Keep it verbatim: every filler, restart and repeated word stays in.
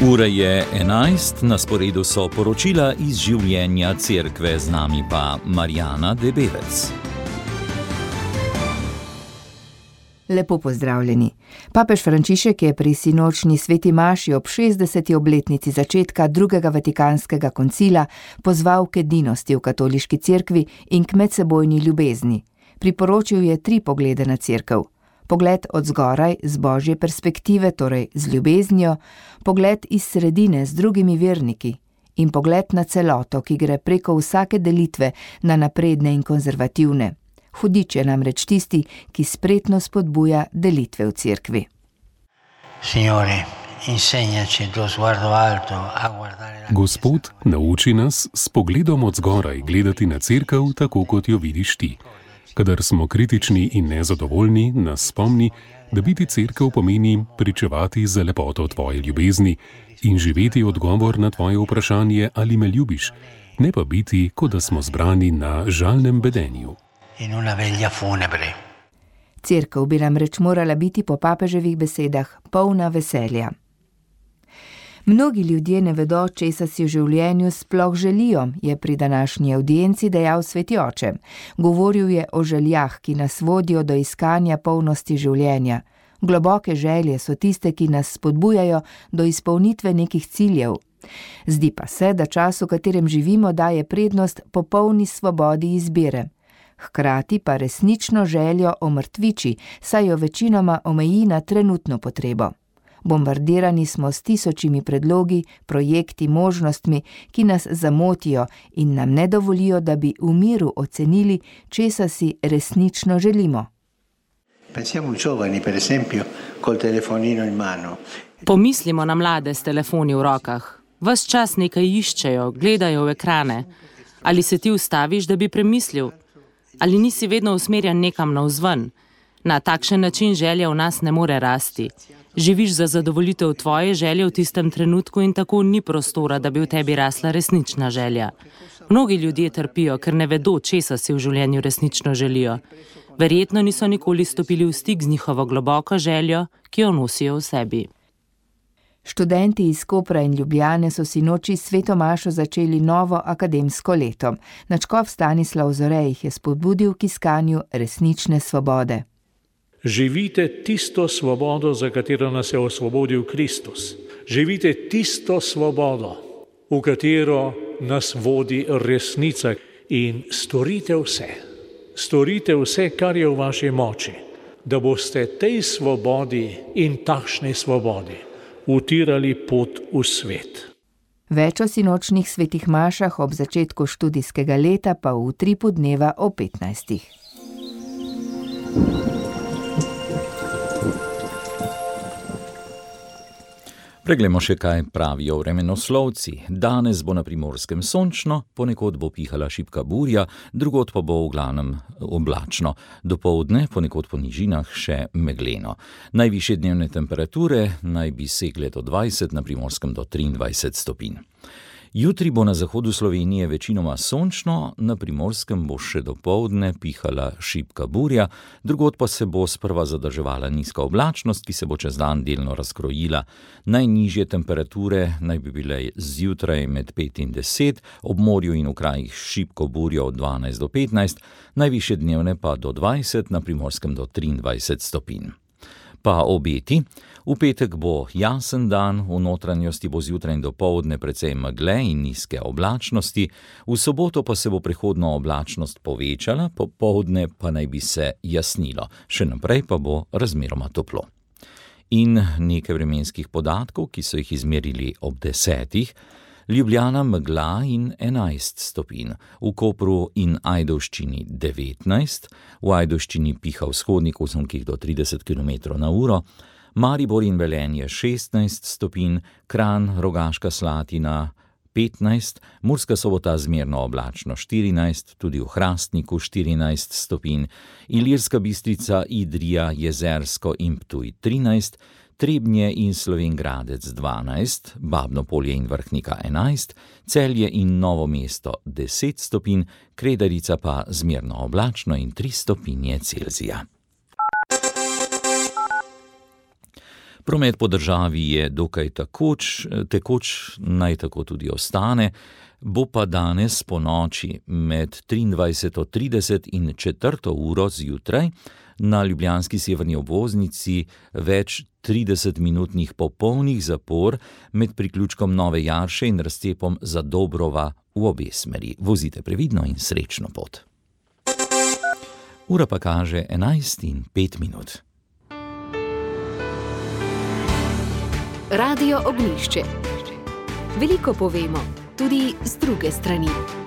Ura je enajst, na sporedu so poročila iz življenja cerkve, z nami pa Marjana Debevec. Lepo pozdravljeni. Papež Frančišek je pri sinočnji sveti maši ob šestdeseti obletnici začetka drugega vatikanskega koncila pozval k edinosti v katoliški cerkvi in k medsebojni ljubezni. Priporočil je tri poglede na cerkev. Pogled od zgoraj z božje perspektive, torej z ljubeznijo, pogled iz sredine z drugimi verniki in pogled na celoto, ki gre preko vsake delitve na napredne in konzervativne. Hudič je namreč tisti, ki spretno spodbuja delitve v cerkvi. Gospod, nauči nas s pogledom od zgoraj gledati na cerkev tako, kot jo vidiš ti. Kadar smo kritični in nezadovoljni, nas spomni, da biti cerkev pomeni pričevati za lepoto tvoje ljubezni in živeti odgovor na tvoje vprašanje, ali me ljubiš, ne pa biti, kot da smo zbrani na žalnem bedenju. Cerkev bi namreč morala biti po papeževih besedah polna veselja. Mnogi ljudje ne vedo, česa si v življenju sploh želijo, je pri današnji avdienci dejal sveti oče. Govoril je o željah, ki nas vodijo do iskanja polnosti življenja. Globoke želje so tiste, ki nas spodbujajo do izpolnitve nekih ciljev. Zdi pa se, da čas, v katerem živimo, daje prednost popolni svobodi izbire. Hkrati pa resnično željo omrtviči, saj jo večinoma omeji na trenutno potrebo. Bombardirani smo s tisočimi predlogi, projekti, možnostmi, ki nas zamotijo in nam ne dovolijo, da bi v miru ocenili, česa si resnično želimo. Pomislimo na mlade s telefoni v rokah. Ves čas nekaj iščejo, gledajo v ekrane. Ali se ti ustaviš, da bi premislil? Ali nisi vedno usmerjen nekam navzven? Na takšen način želja v nas ne more rasti. Živiš za zadovoljitev tvoje želje v tistem trenutku in tako ni prostora, da bi v tebi rasla resnična želja. Mnogi ljudje trpijo, ker ne vedo, česa si v življenju resnično želijo. Verjetno niso nikoli stopili v stik z njihovo globoko željo, ki jo nosijo v sebi. Študenti iz Kopra in Ljubljane so sinoči s sveto mašo začeli novo akademsko leto. Nadškof Stanislav Zore jih je spodbudil k iskanju resnične svobode. Živite tisto svobodo, za katero nas je osvobodil Kristus. Živite tisto svobodo, v katero nas vodi resnica, in storite vse. Storite vse, kar je v vaši moči, da boste tej svobodi in takšni svobodi utirali pot v svet. Več o sinočnih svetih mašah ob začetku študijskega leta pa v utripu dneva o petnajstih. Preglejmo še, kaj pravijo vremenoslovci. Danes bo na Primorskem sončno, ponekod bo pihala šibka burja, drugod pa bo v glavnem oblačno. Dopoldne ponekod po nižinah še megleno. Najvišje dnevne temperature naj bi segle do dvajset, na Primorskem do triindvajset stopinj. Jutri bo na zahodu Slovenije večinoma sončno, na Primorskem bo še dopoldne pihala šibka burja, drugod pa se bo sprva zadrževala nizka oblačnost, ki se bo čez dan delno razkrojila. Najnižje temperature naj bi bile zjutraj med pet in deset, ob morju in v krajih šibko burjo od dvanajst do petnajst, najvišje dnevne pa do dvajset, na Primorskem do triindvajset stopinj. Pa obeti. V petek bo jasen dan, v notranjosti bo zjutraj in dopoldne precej megle in nizke oblačnosti, v soboto pa se bo prehodno oblačnost povečala, popoldne pa naj bi se jasnilo, še naprej pa bo razmeroma toplo. In nekaj vremenskih podatkov, ki so jih izmerili ob desetih. Ljubljana megla in enajst stopinj, v Kopru in Ajdovščini devetnajst, v Ajdovščini piha vzhodnik osemkih do trideset kilometrov na uro, Maribor in Velenje šestnajst stopinj, Kranj, Rogaška Slatina petnajst, Murska Sobota zmerno oblačno štirinajst, tudi v Hrastniku štirinajst stopinj, Ilirska Bistrica, Idrija, Jezersko in Ptuj trinajst, Trebnje in Slovenj Gradec dvanajst, Babno Polje in Vrhnika enajst, Celje in Novo mesto deset stopinj, Kredarica pa zmerno oblačno in tri stopinje Celzija. Promet po državi je dokaj takoč, tekoč, naj tako tudi ostane, bo pa danes po noči med triindvajseto trideset in četrto uro zjutraj na ljubljanski severni obvoznici več tridesetminutnih popolnih zapor med priključkom Nove Jarše in razcepom Zadobrova v obe smeri. Vozite previdno in srečno pot. Ura pa kaže enajst in pet minut. Radio Ognjišče. Veliko povemo, tudi z druge strani.